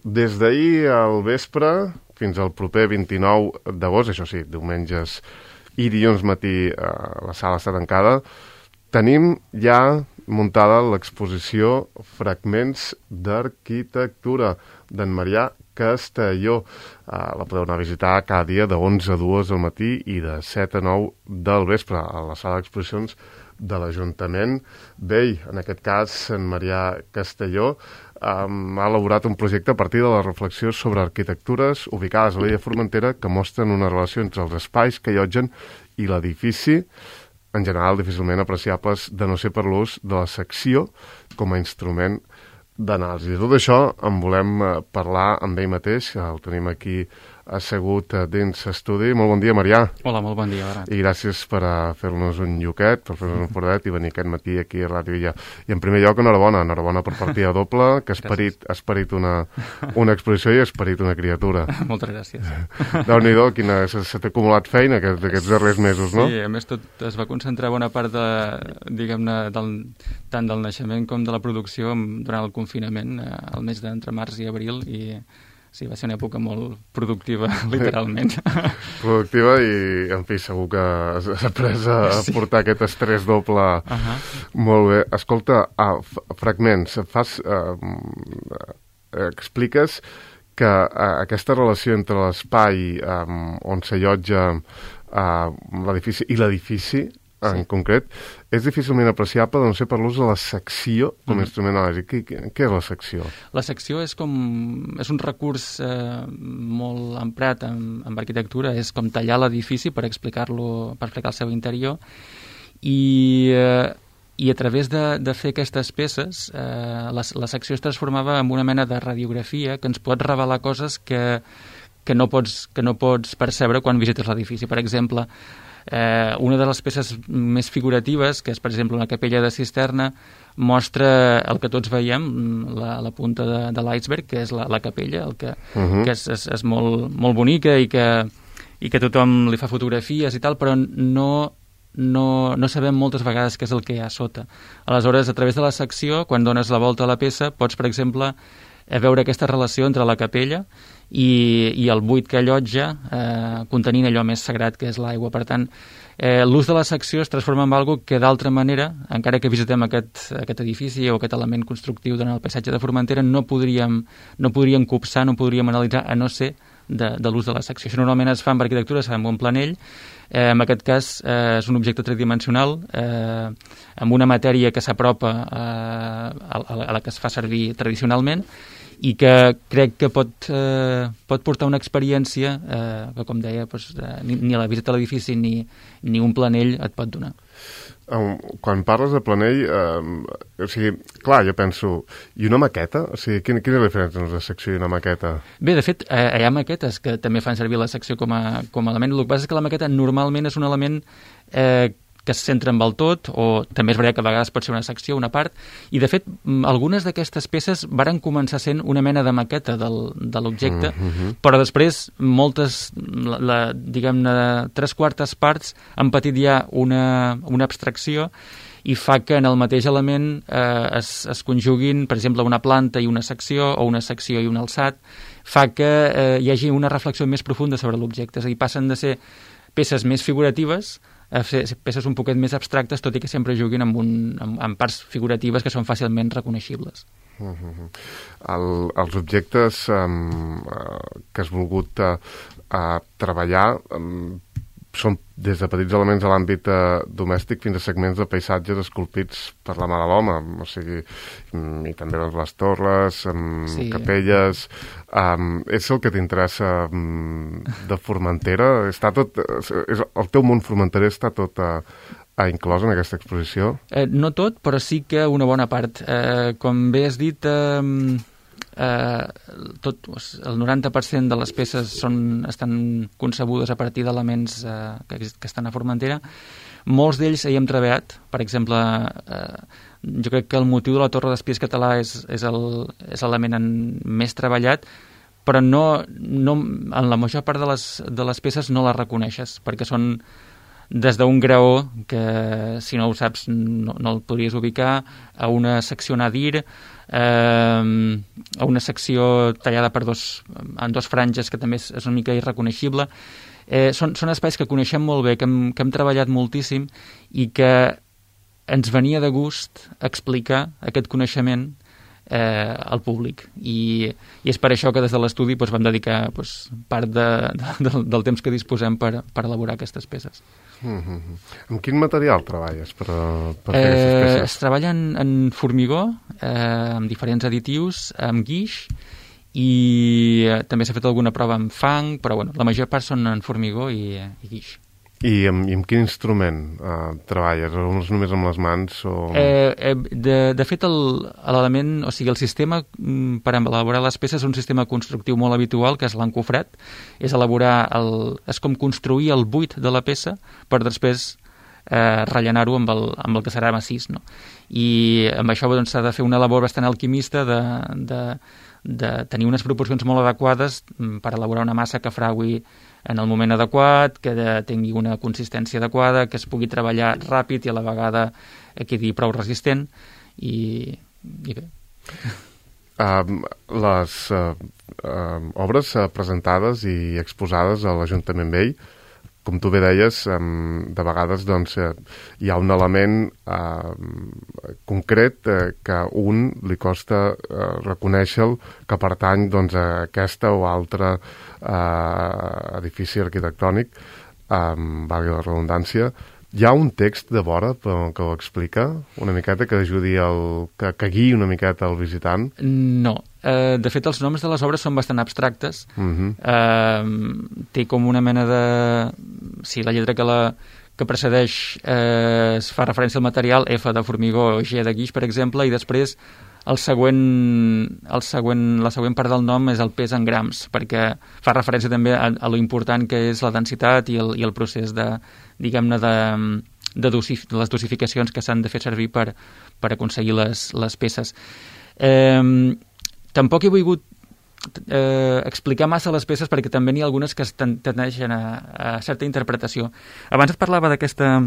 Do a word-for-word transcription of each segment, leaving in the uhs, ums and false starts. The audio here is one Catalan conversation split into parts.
Des d'ahir al vespre fins al proper vint-i-nou d'agost, això sí, diumenges i dilluns matí eh, la sala està tancada, tenim ja muntada l'exposició Fragments d'Arquitectura d'en Marià Castelló. Uh, la podeu anar a visitar cada dia de onze a dues del matí i de set a nou del vespre a la sala d'exposicions de l'Ajuntament vell. En aquest cas, en Marià Castelló um, ha elaborat un projecte a partir de la reflexió sobre arquitectures ubicades a l'illa Formentera que mostren una relació entre els espais que allotgen i l'edifici, en general difícilment apreciables de no ser per l'ús de la secció com a instrument d'anàlisi. De tot això en volem parlar amb ell mateix, el tenim aquí assegut dins estudi. Molt bon dia, Marià. Hola, molt bon dia, Barat. I gràcies per fer-nos un lloquet, per fer-nos un fordet i venir aquest matí aquí a Ràdio Illa. I en primer lloc, enhorabona, enhorabona per partida doble, que has parit, has parit una, una exposició i has parit una criatura. Moltes gràcies. Déu-n'hi-do, quina, se t'ha acumulat feina aquests, aquests darrers mesos, no? Sí, a més tot es va concentrar bona part de, diguem-ne, del, tant del naixement com de la producció durant el confinament, el mes d'entre març i abril, i sí, va ser una època molt productiva, literalment. Productiva i, en fi, segur que has après a sí. portar aquest estrès doble. Uh-huh. Molt bé. Escolta, uh, fragments, fas, uh, uh, expliques que uh, aquesta relació entre l'espai um, on s'allotja uh, l'edifici i l'edifici, en sí. concret, és difícilment apreciable de no ser per l'ús de la secció com a mm. instrument anàlisi. Què, què és la secció? La secció és com és un recurs eh, molt emprat en, en arquitectura, és com tallar l'edifici per explicar-lo, per explicar el seu interior, i, eh, i a través de, de fer aquestes peces eh, la, la secció es transformava en una mena de radiografia que ens pot revelar coses que, que, no, pots, que no pots percebre quan visites l'edifici. Per exemple, Eh, una de les peces més figuratives, que és, per exemple, una capella de cisterna, mostra el que tots veiem, la, la punta de, de l'iceberg, que és la, la capella, el que, uh-huh. que és, és, és molt, molt bonica i que, i que tothom li fa fotografies i tal, però no, no, no sabem moltes vegades què és el que hi ha a sota. Aleshores, a través de la secció, quan dones la volta a la peça, pots, per exemple, veure aquesta relació entre la capella i, i el buit que allotja, eh, contenint allò més sagrat que és l'aigua. Per tant, eh, l'ús de la secció es transforma en algo que d'altra manera, encara que visitem aquest, aquest edifici o aquest element constructiu durant el paisatge de Formentera, no podríem, no podríem copsar, no podríem analitzar, a no ser de, de l'ús de la secció. Això normalment es fa en arquitectura, es fa amb un planell. Eh, en aquest cas eh, és un objecte tridimensional eh, amb una matèria que s'apropa eh, a, a la que es fa servir tradicionalment i que crec que pot, eh, pot portar una experiència eh, que, com deia, doncs, eh, ni, ni la visita a l'edifici ni, ni un planell et pot donar. Um, quan parles de planell, eh, o sigui, clar, jo penso, i una maqueta? O sigui, quina, quina és la diferència entre una secció i una maqueta? Bé, de fet, eh, hi ha maquetes que també fan servir la secció com a, com a element. El que passa és que la maqueta normalment és un element eh, que es centra amb el tot, o també és veritat que a vegades pot ser una secció, una part, i de fet algunes d'aquestes peces varen començar sent una mena de maqueta del, de l'objecte, mm-hmm. però després moltes, la, la, diguem-ne, tres quartes parts han patit ja una, una abstracció i fa que en el mateix element eh, es, es conjuguin, per exemple, una planta i una secció, o una secció i un alçat, fa que eh, hi hagi una reflexió més profunda sobre l'objecte, és a dir, passen de ser peces més figuratives a fer peces un poquet més abstractes, tot i que sempre juguin amb, un, amb, amb parts figuratives que són fàcilment reconeixibles. Uh-huh. El, els objectes um, uh, que has volgut uh, uh, treballar um, són des de petits elements de l'àmbit uh, domèstic fins a segments de paisatges esculpits per la mà de l'home, o sigui, um, i també les torres, um, sí. capelles. Um, és el que t'interessa um, de Formentera? Està tot, és, el teu món formenterer està tot uh, inclòs en aquesta exposició? Eh, no tot, però sí que una bona part. Eh, com bé has dit, eh, eh, tot, el noranta per cent de les peces són, estan concebudes a partir d'elements eh, que, que estan a Formentera. Molts d'ells hi hem treballat. Per exemple, eh, jo crec que el motiu de la Torre d'Espies català és, és el, és l'element més treballat, però no, no, en la major part de les, de les peces no les reconeixes, perquè són des d'un graó, que si no ho saps no, no el podries ubicar, a una secció nadir, eh, a una secció tallada per dos, en dos franges, que també és, és una mica irreconeixible. Eh, són, són espais que coneixem molt bé, que hem, que hem treballat moltíssim i que ens venia de gust explicar aquest coneixement eh, al públic. I, i és per això que des de l'estudi doncs, vam dedicar doncs, part de, de, del temps que disposem per, per elaborar aquestes peces. Mm-hmm. Amb quin material treballes per, per fer eh, aquestes peces? Es treballa en, en formigó, eh, amb diferents additius, amb guix, i eh, també s'ha fet alguna prova amb fang, però bueno, la major part són en formigó i, i guix. I amb, i amb quin instrument uh, treballes? O només amb les mans? O... Eh, eh, de, de fet, l'element, o sigui, el sistema mm, per elaborar les peces és un sistema constructiu molt habitual, que és l'encofrat. És elaborar el, és com construir el buit de la peça per després eh, rellenar-ho amb, el, amb el que serà massís, no? I amb això doncs, s'ha de fer una labor bastant alquimista de, de, de tenir unes proporcions molt adequades per elaborar una massa que fraui en el moment adequat, que de, tingui una consistència adequada, que es pugui treballar ràpid i a la vegada quedi prou resistent i, i bé. Uh, les uh, uh, obres uh, presentades i exposades a l'Ajuntament Vell, com tu bé deies, um, de vegades doncs, uh, hi ha un element uh, concret uh, que un li costa uh, reconèixer-lo que pertany doncs, a aquesta o altra uh, edifici arquitectònic, um, valgui la redundància. Hi ha un text de vora que ho explica una miqueta, que ajudi el, que, que guiï una miqueta el visitant? No. Eh, de fet, els noms de les obres són bastant abstractes. Uh-huh. Eh, té com una mena de... Sí, la lletra que, la, que precedeix eh, es fa referència al material, F de formigó o G de guix, per exemple, i després el següent, el següent, la següent part del nom és el pes en grams, perquè fa referència també a, a lo important que és la densitat i el, i el procés de, diguem-ne, de, de, dosif, de les dosificacions que s'han de fer servir per, per aconseguir les, les peces. Eh, tampoc he volgut eh, explicar massa les peces perquè també n'hi ha algunes que tendeixen a, a certa interpretació. Abans et parlava d'aquesta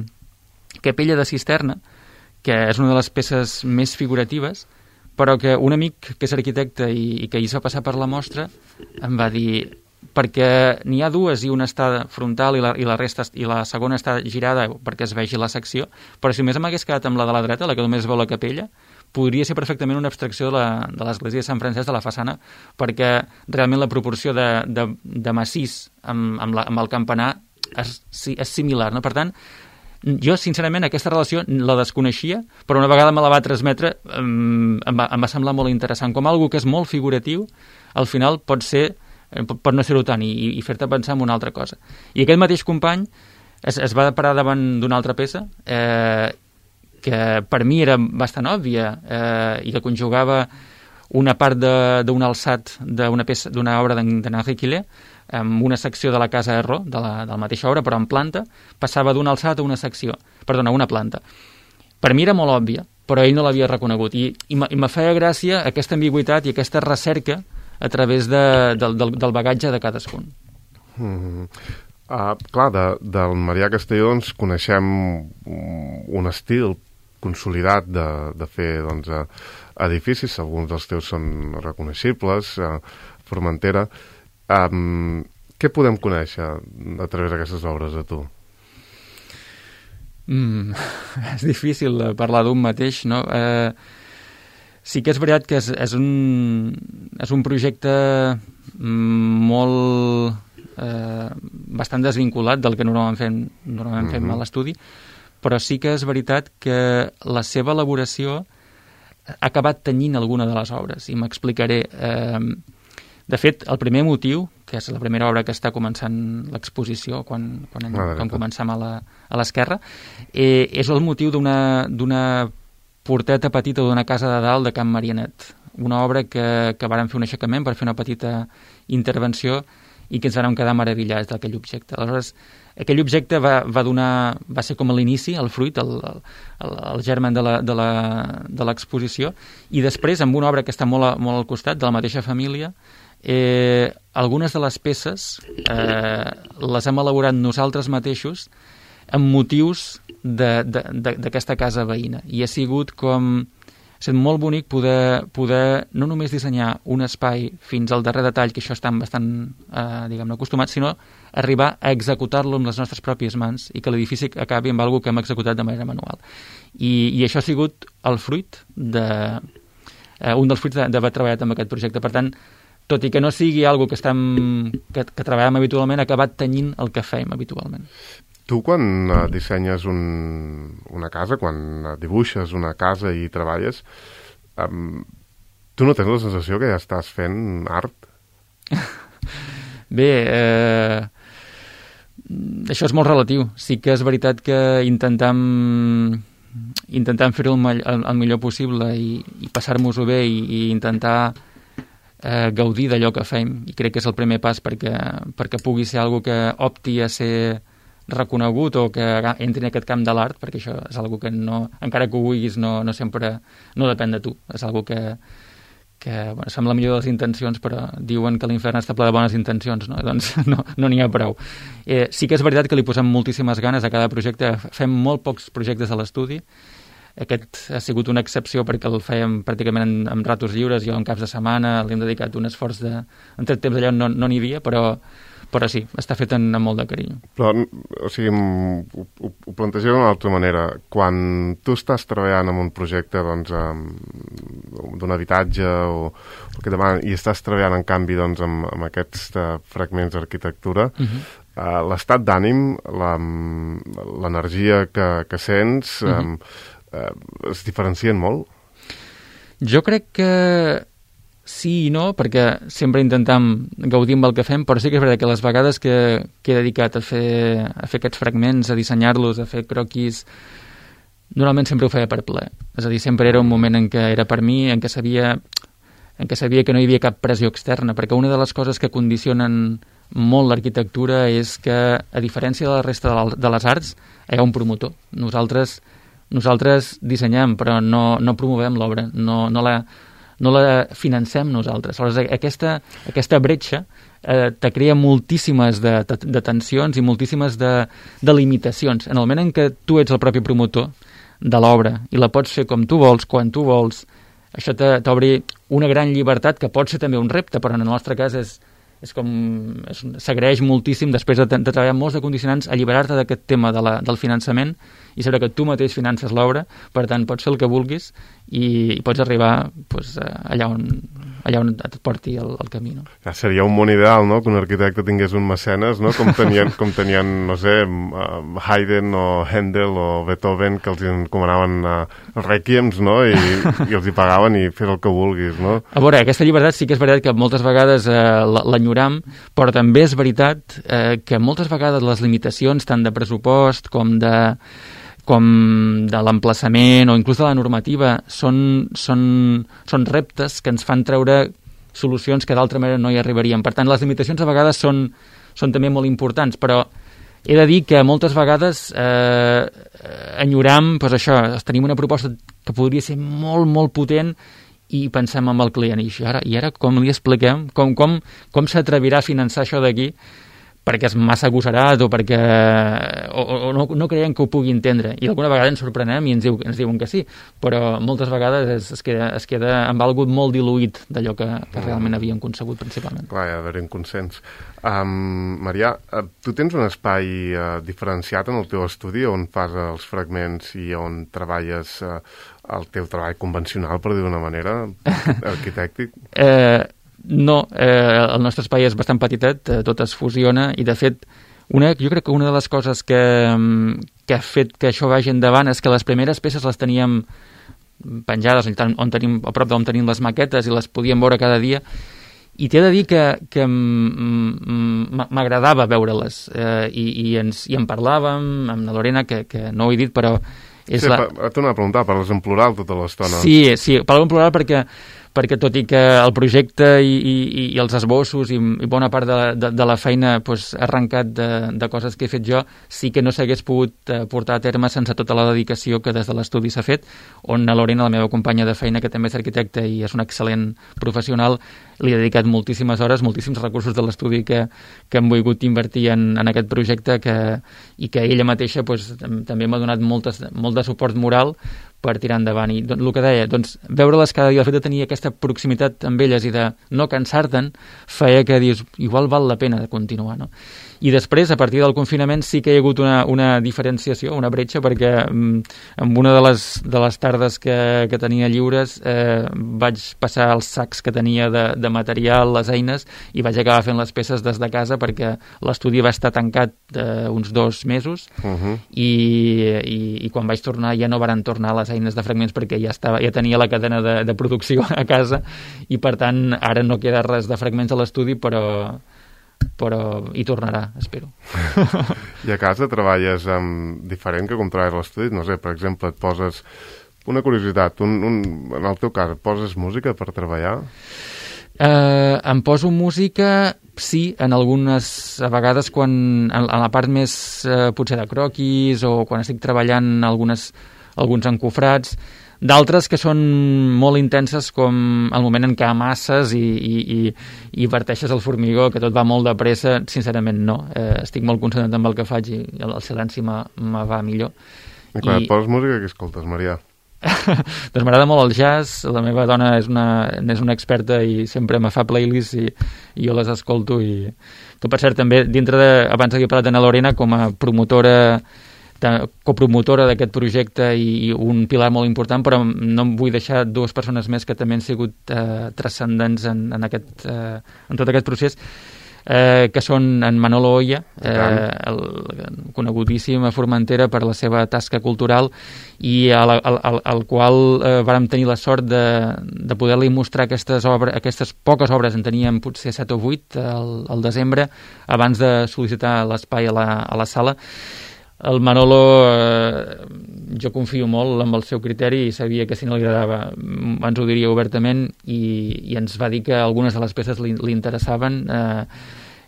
capella de cisterna, que és una de les peces més figuratives, però que un amic que és arquitecte i, i que hi es va passar per la mostra em va dir, perquè n'hi ha dues i una està frontal i la, i la resta i la segona està girada perquè es vegi la secció, però si només m'hagués quedat amb la de la dreta, la que només veu la capella, podria ser perfectament una abstracció de l'església de Sant Francesc de la façana, perquè realment la proporció de, de, de massís amb, amb, la, amb el campanar és, és similar, no? Per tant, jo, sincerament, aquesta relació la desconeixia, però una vegada me la va transmetre em, em, va, em va semblar molt interessant. Com algo que és molt figuratiu, al final pot ser, pot no ser-ho tant i, i fer-te pensar en una altra cosa. I aquest mateix company es, es va parar davant d'una altra peça eh, que per mi era bastant òbvia eh, i que conjugava una part d'un alçat d'una peça d'una obra d'Henri Quillet, amb una secció de la Casa Erro, de la, de la mateixa obra, però en planta, passava d'un alçat a una secció, perdona, a una planta. Per mi era molt òbvia, però ell no l'havia reconegut. I, i, i me feia gràcia aquesta ambigüitat i aquesta recerca a través de, del, del, del bagatge de cadascun. Mm-hmm. Uh, clar, de, del Marià Castelló doncs, coneixem un estil consolidat de, de fer doncs, edificis, alguns dels teus són reconeixibles, uh, Formentera. Um, què podem conèixer a través d'aquestes obres de tu? Mm, és difícil parlar d'un mateix, no? Eh, sí que és veritat que és, és, un, és un projecte molt... Eh, bastant desvinculat del que normalment fem, normalment mm-hmm. fem a l'estudi, però sí que és veritat que la seva elaboració ha acabat tenyint alguna de les obres, i m'explicaré. Eh, De fet, el primer motiu, que és la primera obra que està començant l'exposició, quan, quan, en, ah, quan comencem a l'esquerra, eh, és el motiu d'una porteta petita d'una casa de dalt de Can Marianet. Una obra que, que vàrem fer un aixecament per fer una petita intervenció i que ens vam quedar meravillats d'aquell objecte. Aleshores, aquell objecte va, va donar, va ser com l'inici, el fruit, el, el, el germen de l'exposició, i després, amb una obra que està molt, molt al costat, de la mateixa família, Eh, algunes de les peces eh, les hem elaborat nosaltres mateixos amb motius d'aquesta casa veïna. I ha sigut com... Ha estat molt bonic poder, poder no només dissenyar un espai fins al darrer detall, que això estan bastant, eh, diguem-ne, acostumats, sinó arribar a executar-lo amb les nostres pròpies mans i que l'edifici acabi amb alguna que hem executat de manera manual. I, i això ha sigut el fruit de... Eh, un dels fruits d'haver treballat amb aquest projecte. Per tant, tot i que no sigui algo que, estem, que, que treballem habitualment, ha acabat tenyint el que fem habitualment. Tu, quan uh, dissenyes un, una casa, quan uh, dibuixes una casa i treballes, um, tu no tens la sensació que ja estàs fent art? Bé, eh, això és molt relatiu. Sí que és veritat que intentem, intentem fer-ho el, el, el millor possible i, i passar-nos-ho bé i, i intentar eh, gaudir d'allò que fem. I crec que és el primer pas perquè, perquè pugui ser algo que opti a ser reconegut o que entri en aquest camp de l'art, perquè això és algo que no, encara que ho vulguis, no, no sempre no depèn de tu. És algo que, que bueno, es fa amb la millor de les intencions, però diuen que l'infern està ple de bones intencions, no? Doncs no n'hi no ha prou. Eh, sí que és veritat que li posem moltíssimes ganes a cada projecte. Fem molt pocs projectes a l'estudi. Aquest ha sigut una excepció perquè el fèiem pràcticament en, en ratos lliures, jo en caps de setmana, li hem dedicat un esforç de... En tot temps allà no n'hi no havia, però però sí, està fet amb molt de carinyo. Però, o sigui, ho, ho, ho plantegem d'una altra manera. Quan tu estàs treballant en un projecte doncs, d'un habitatge o, o que demana, i estàs treballant, en canvi, doncs, amb, amb aquests uh, fragments d'arquitectura, uh-huh. uh, l'estat d'ànim, l'energia que, que sents, uh-huh. um, uh, es diferencien molt? Jo crec que sí i no, perquè sempre intentem gaudir amb el que fem, però sí que és veritat que les vegades que, que he dedicat a fer, a fer aquests fragments, a dissenyar-los, a fer croquis, normalment sempre ho feia per plaer. És a dir, sempre era un moment en què era per mi, en què sabia, en què sabia que no hi havia cap pressió externa, perquè una de les coses que condicionen molt l'arquitectura és que, a diferència de la resta de les arts, hi ha un promotor. Nosaltres, nosaltres dissenyem, però no, no promovem l'obra, no, no la... no la financem nosaltres. Aleshores, aquesta, aquesta bretxa eh, te crea moltíssimes de, de, de tensions i moltíssimes de, de limitacions. En el moment en què tu ets el propi promotor de l'obra i la pots fer com tu vols, quan tu vols, això t'obri una gran llibertat que pot ser també un repte, però en el nostre cas és, és com s'agraeix moltíssim després de, de treballar molts de condicionants, alliberar-te d'aquest tema de la, del finançament i saber que tu mateix finances l'obra, per tant pots fer el que vulguis i, i pots arribar pues, allà, on, allà on et porti el, el camí. No? Ja seria un món ideal, no?, que un arquitecte tingués un mecenes, no?, com tenien, com tenien no sé, Haydn o Händel o Beethoven, que els encomanaven uh, requiems, no?, i, i els hi pagaven i fes el que vulguis, no? A veure, aquesta llibertat sí que és veritat que moltes vegades eh, l'enyoram, però també és veritat eh, que moltes vegades les limitacions tant de pressupost com de com de l'emplaçament o inclús de la normativa són, són, són reptes que ens fan treure solucions que d'altra manera no hi arribarien. Per tant, les limitacions a vegades són, són també molt importants, però he de dir que moltes vegades eh, enyoram, doncs això, tenim una proposta que podria ser molt, molt potent i pensem en el client. I ara, i ara com li expliquem? Com, com, com s'atrevirà a finançar això d'aquí? Perquè és massa agosarat o perquè o, o no, no creiem que ho pugui entendre. I alguna vegada ens sorprenem i ens, diu, ens diuen que sí, però moltes vegades es, es, queda, es queda amb algú molt diluït d'allò que, que realment havíem concebut principalment. Clar, hi ha d'haver un consens. Um, Marià, uh, tu tens un espai uh, diferenciat en el teu estudi on fas els fragments i on treballes uh, el teu treball convencional, per dir d'una manera, arquitèctic? Eh... No, eh, el nostre espai és bastant petitet, eh, tot es fusiona i de fet una, jo crec que una de les coses que, que ha fet que això vagi endavant és que les primeres peces les teníem penjades on tenim, a prop d'on tenim les maquetes i les podíem veure cada dia i t'he de dir que, que m'agradava veure-les eh, i, i, ens, i en parlàvem amb la Lorena, que, que no ho he dit però és sí, la... T'ho anava a preguntar, parles en plural tota l'estona. Sí, sí, parlo en plural perquè perquè tot i que el projecte i, i, i els esbossos i, i bona part de, de, de la feina pues, ha arrencat de, de coses que he fet jo, sí que no s'hagués pogut eh, portar a terme sense tota la dedicació que des de l'estudi s'ha fet, on a Lorena, la meva companya de feina, que també és arquitecta i és una excel·lent professional, li he dedicat moltíssimes hores, moltíssims recursos de l'estudi que, que hem volgut invertir en, en aquest projecte que, i que ella mateixa pues, també m'ha donat moltes, molt de suport moral per tirar endavant. I el que deia, doncs, veure-les cada dia, el fet de tenir aquesta proximitat amb elles i de no cansar-te'n, feia que dius, igual val la pena de continuar, no? I després, a partir del confinament, sí que hi ha hagut una, una diferenciació, una bretxa, perquè mm, en una de les, de les tardes que, que tenia lliures eh, vaig passar els sacs que tenia de, de material, les eines, i vaig acabar fent les peces des de casa perquè l'estudi va estar tancat eh, uns dos mesos uh-huh. i, i, i quan vaig tornar ja no varen tornar les eines de fragments perquè ja, estava, ja tenia la cadena de, de producció a casa i per tant ara no queda res de fragments a l'estudi, però però hi tornarà, espero. I a casa treballes amb diferent que com treballes a l'estudi? No sé, per exemple, et poses... Una curiositat, un, un, en el teu cas, et poses música per treballar? Eh, em poso música, sí, en algunes... A vegades quan... En, en la part més, eh, potser de croquis o quan estic treballant algunes, alguns encofrats... D'altres que són molt intenses com el moment en què amasses i, i, i, i verteixes el formigó, que tot va molt de pressa, sincerament no. Eh, estic molt concentrat amb el que faig i el, el silenci me, me va millor. I quan I... et poses música, què escoltes, Maria? Doncs m'agrada molt el jazz, la meva dona és una, és una experta i sempre me fa playlists i, i jo les escolto. I... Tu, per cert, també, dintre de, abans havia parlat d'Anna Lorena com a promotora copromotora d'aquest projecte i un pilar molt important, però no em vull deixar dues persones més que també han sigut eh, transcendents en, en, aquest, eh, en tot aquest procés, eh, que són en Manolo Oya, eh, el conegudíssim a Formentera per la seva tasca cultural i al, al, al, al qual eh, vàrem tenir la sort de, de poder-li mostrar aquestes, obres, aquestes poques obres, en teníem potser set o vuit al, al desembre, abans de sol·licitar l'espai a la, a la sala. El Manolo, eh, jo confio molt en el seu criteri i sabia que si no li agradava ens ho diria obertament i, i ens va dir que algunes de les peces li, li interessaven, eh,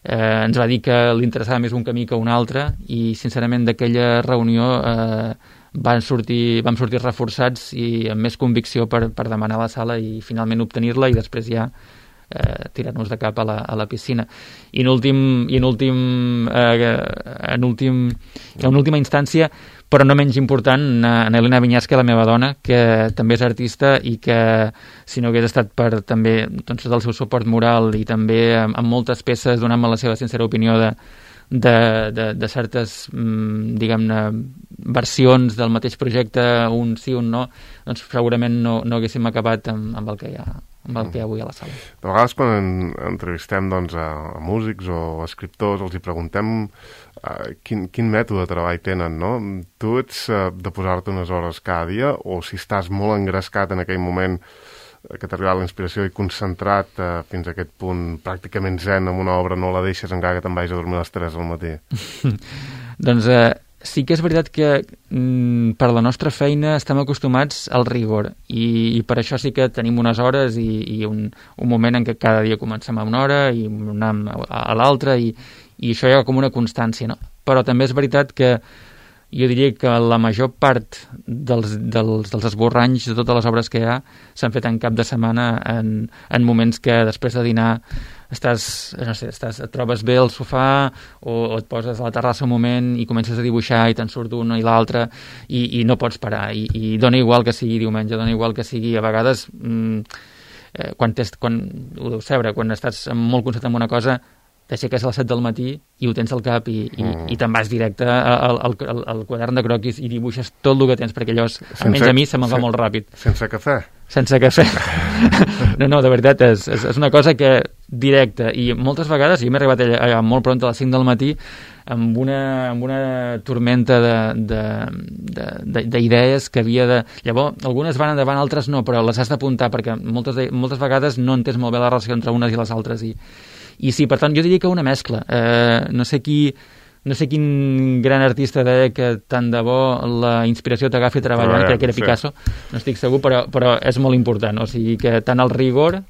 eh, ens va dir que li interessava més un camí que un altre i sincerament d'aquella reunió eh, van sortir, vam sortir reforçats i amb més convicció per, per demanar la sala i finalment obtenir-la i després ja Eh, tirar-nos de cap a la, a la piscina. I en últim, i en últim, eh, en últim, en última instància, però no menys important, en Elena Vinyasca, la meva dona, que també és artista i que si no hagués estat per també doncs, el seu suport moral i també amb, amb moltes peces donant-me la seva sincera opinió de, de, de, de certes, diguem-ne, versions del mateix projecte, un sí, un no, doncs segurament no, no haguéssim acabat amb, amb el que hi ha amb el que hi ha avui a la sala. De vegades quan en, entrevistem doncs, a, a músics o a escriptors els hi preguntem uh, quin, quin mètode de treball tenen, no? Tu ets uh, de posar-te unes hores cada dia o si estàs molt engrescat en aquell moment que t'ha arribat la inspiració i concentrat uh, fins a aquest punt pràcticament zen amb una obra no la deixes encara que te'n vagis a dormir a les tres del matí? Doncs eh, sí que és veritat que mm, per la nostra feina estem acostumats al rigor i, i per això sí que tenim unes hores i, i un, un moment en què cada dia comencem a una hora i anem a, a l'altra i, i això hi ha com una constància, no? Però també és veritat que jo diria que la major part dels, dels, dels esborranys de totes les obres que hi ha s'han fet en cap de setmana en, en moments que després de dinar estàs, no sé, estàs, et trobes bé al sofà o, o et poses a la terrassa un moment i comences a dibuixar i te'n surt una i l'altra i, i no pots parar i, i dona igual que sigui diumenge, dona igual que sigui a vegades mm, eh, quan, tens, quan ho deus saber, quan estàs molt concentrat en una cosa t'aixeques a les set del matí i ho tens al cap i, i, mm. i te'n vas directe al, al, al, al quadern de croquis i dibuixes tot el que tens, perquè allò, sense, almenys a mi, se me'n va molt ràpid. Sense cafè? Sense cafè. No, no, de veritat, és, és, és una cosa que directa, i moltes vegades, jo m'he arribat a, a, molt pront a les cinc del matí amb una, amb una tormenta d'idees que havia de... Llavors, algunes van endavant, altres no, però les has d'apuntar, perquè moltes, de, moltes vegades no entens molt bé la relació entre unes i les altres, i I sí, per tant, jo diria que una mescla. Eh, no sé qui, no sé quin gran artista deia que tant de bo la inspiració t'agafi treballant, Treballant, crec que era Picasso, sí. no estic segur, però, però és molt important, o sigui que tant el rigor,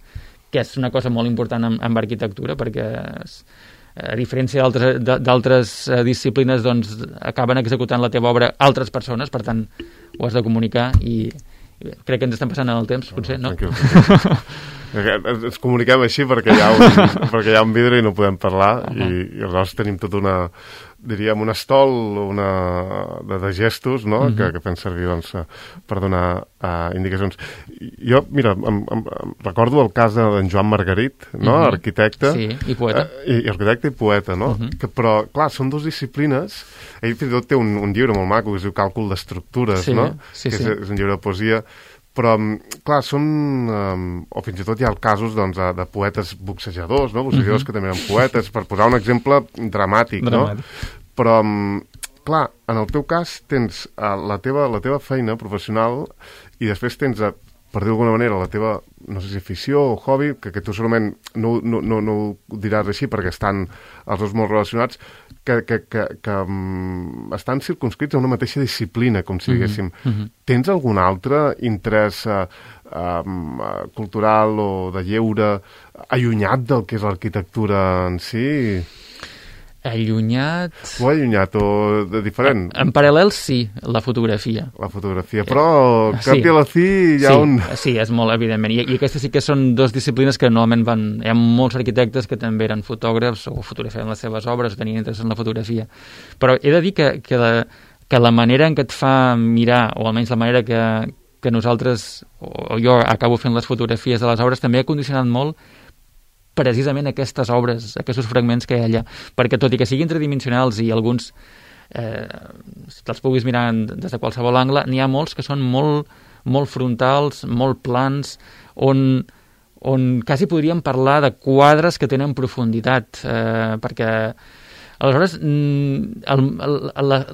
que és una cosa molt important en, en arquitectura, perquè és, a diferència d'altres disciplines, doncs acaben executant la teva obra altres persones, per tant ho has de comunicar i, i bé, crec que ens estem passant en el temps, potser, no? Tranquil, tranquil. Ens comuniquem així perquè hi ha un, perquè hi ha un vidre i no podem parlar, uh -huh. i, i aleshores tenim tota una, diríem, un estol una, de, de gestos, no? Uh -huh. que, que fem servir doncs, per donar uh, indicacions. Jo, mira, em, em, em recordo el cas d'en Joan Margarit, no? Uh -huh. Arquitecte. Sí, i poeta. Uh, i, i arquitecte i poeta, no? Uh -huh. que, però, clar, són dues disciplines. Ell fins i tot té un, un llibre molt maco que es diu Càlcul d'estructures, sí, no? Sí, que sí. és, és un llibre de poesia. Però, clar, són... Um, o fins i tot hi ha casos, doncs, de, de poetes boxejadors, no? Boxejadors uh -huh. que també eren poetes, per posar un exemple dramàtic, dramàtic. no? Però, um, clar, en el teu cas tens uh, la, teva, la teva feina professional i després tens, uh, per dir d'alguna manera, la teva, no sé si afició o hobby, que, que tu segurament no, no, no, no ho diràs així perquè estan els dos molt relacionats, que, que, que, que um, estan circunscrits a una mateixa disciplina, com si diguéssim. Uh -huh. Tens algun altre interès uh, um, uh, cultural o de lleure allunyat del que és l'arquitectura en si? Allunyat... O allunyat o de diferent? En, en paral·lel, sí, la fotografia. La fotografia, però eh, cap sí. i a la fi hi ha sí, un... Sí, és molt evidentment. I, I aquestes sí que són dues disciplines que normalment van... Hi ha molts arquitectes que també eren fotògrafs o fotografiaven les seves obres o tenien interès en la fotografia. Però he de dir que, que, la, que la manera en què et fa mirar, o almenys la manera que, que nosaltres, o jo acabo fent les fotografies de les obres, també ha condicionat molt precisament aquestes obres, aquests fragments que hi ha allà, perquè tot i que siguin tridimensionals i alguns eh, si te'ls puguis mirar des de qualsevol angle, n'hi ha molts que són molt, molt frontals, molt plans, on, on quasi podríem parlar de quadres que tenen profunditat, eh, perquè aleshores el, el, la,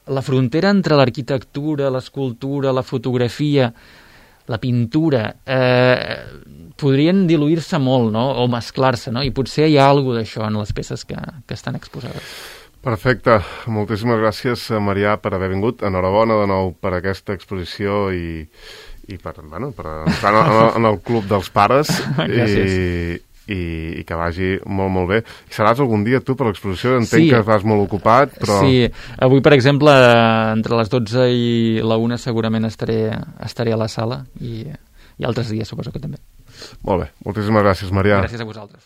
la frontera entre l'arquitectura, l'escultura, la fotografia, la pintura, eh, podrien diluir-se molt, no? O mesclar-se, no? I potser hi ha alguna d'això en les peces que, que estan exposades. Perfecte. Moltíssimes gràcies, Marià, per haver vingut. Enhorabona de nou per aquesta exposició i, i per, bueno, per entrar en el, en el Club dels Pares. Gràcies. I, i, i que vagi molt, molt bé. I seràs algun dia tu per l'exposició? Entenc sí. que vas molt ocupat, però... Sí, avui, per exemple, entre les dotze i la una segurament estaré, estaré a la sala i, i altres dies suposo que també. Molt bé. Moltíssimes gràcies, Marià. Gràcies a vosaltres.